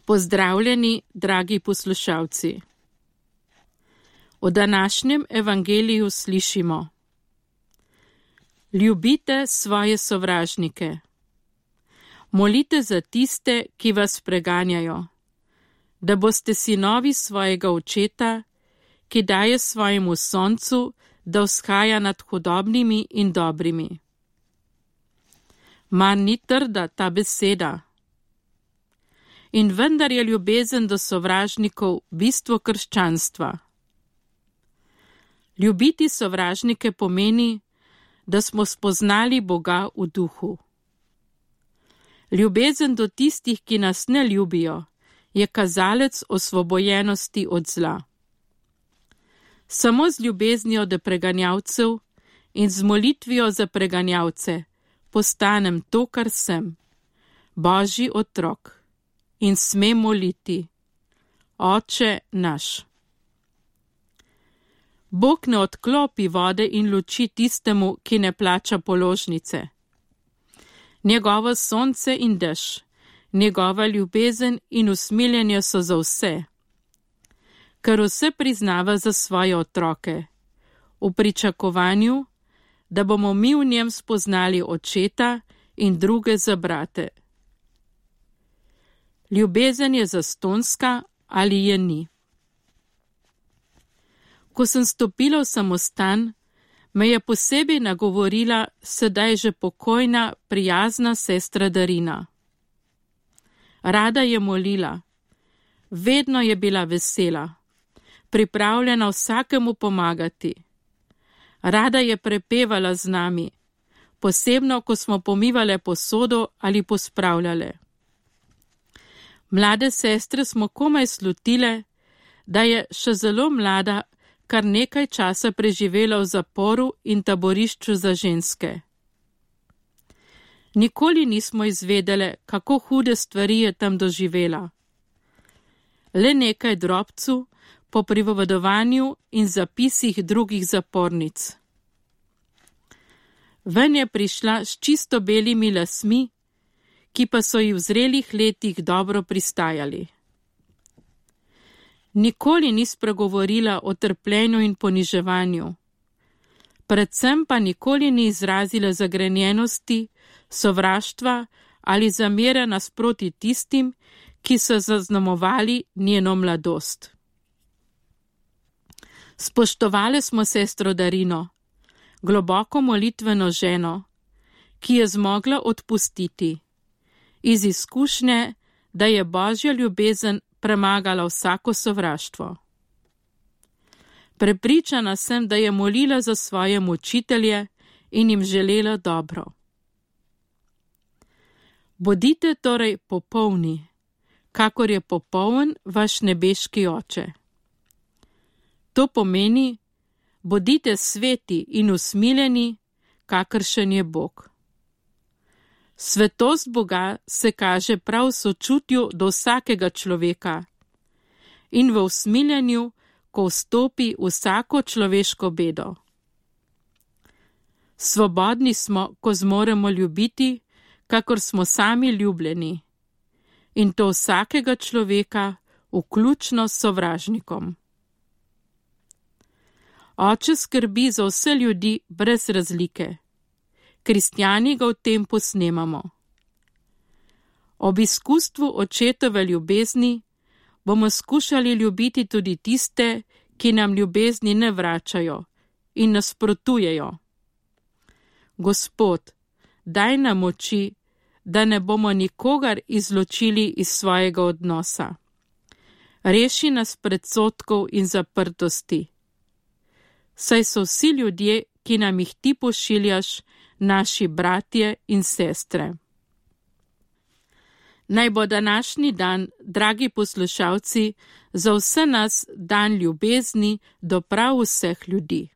Pozdravljeni, dragi poslušalci. V današnjem evangeliju slišimo: Ljubite svoje sovražnike. Molite za tiste, ki vas preganjajo, da boste sinovi svojega očeta, ki daje svojemu soncu, da vzhaja nad hudobnimi in dobrimi. Mar ni trda ta beseda? In vendar je ljubezen do sovražnikov bistvo krščanstva. Ljubiti sovražnike pomeni, da smo spoznali Boga v duhu. Ljubezen do tistih, ki nas ne ljubijo, je kazalec osvobojenosti od zla. Samo z ljubeznijo do preganjavcev in z molitvijo za preganjavce postanem to, kar sem, Božji otrok, in smem moliti: Oče naš. Bog ne odklopi vode in luči tistemu, ki ne plača položnice. Njegovo sonce in dež, njegova ljubezen in usmiljenje so za vse, ker vse priznava za svoje otroke, v pričakovanju, da bomo mi v njem spoznali očeta in druge za brate. Ljubezen je zastonjska ali je ni. Ko sem stopila v samostan, me je posebej nagovorila sedaj že pokojna, prijazna sestra Darina. Rada je molila, vedno je bila vesela, pripravljena vsakemu pomagati. Rada je prepevala z nami, posebno, ko smo pomivale posodo ali pospravljale. Mlade sestre smo komaj slutile, da je še zelo mlada, kar nekaj časa preživela v zaporu in taborišču za ženske. Nikoli nismo izvedele, kako hude stvari je tam doživela. Le nekaj drobcu po pripovedovanju in zapisih drugih zapornic. Ven je prišla s čisto belimi lasmi, ki pa so ji v zrelih letih dobro pristajali. Nikoli ni spregovorila o trpljenju in poniževanju, predvsem pa nikoli ni izrazila zagrenjenosti, sovraštva ali zamere nasproti tistim, ki so zaznamovali njeno mladost. Spoštovali smo sestro Darino, globoko molitveno ženo, ki je zmogla odpustiti, iz izkušnje, da je Božja ljubezen premagala vsako sovraštvo. Prepričana sem, da je molila za svoje mučitelje in jim želela dobro. Bodite torej popolni, kakor je popoln vaš nebeški Oče. To pomeni, bodite sveti in usmiljeni, kakršen je Bog. Svetost Boga se kaže prav v sočutju do vsakega človeka in v usmiljenju, ko vstopi vsako človeško bedo. Svobodni smo, ko zmoremo ljubiti, kakor smo sami ljubljeni, in to vsakega človeka, vključno s sovražnikom. Oče skrbi za vse ljudi brez razlike. Kristjani ga v tem posnemamo. Ob izkustvu očetove ljubezni bomo skušali ljubiti tudi tiste, ki nam ljubezni ne vračajo in nasprotujejo. Gospod, daj nam moči, da ne bomo nikogar izločili iz svojega odnosa. Reši nas predsodkov in zaprtosti. Saj so vsi ljudje, ki nam jih ti pošiljaš, naši bratje in sestre. Naj bo današnji dan, dragi poslušalci, za vse nas dan ljubezni do prav vseh ljudi.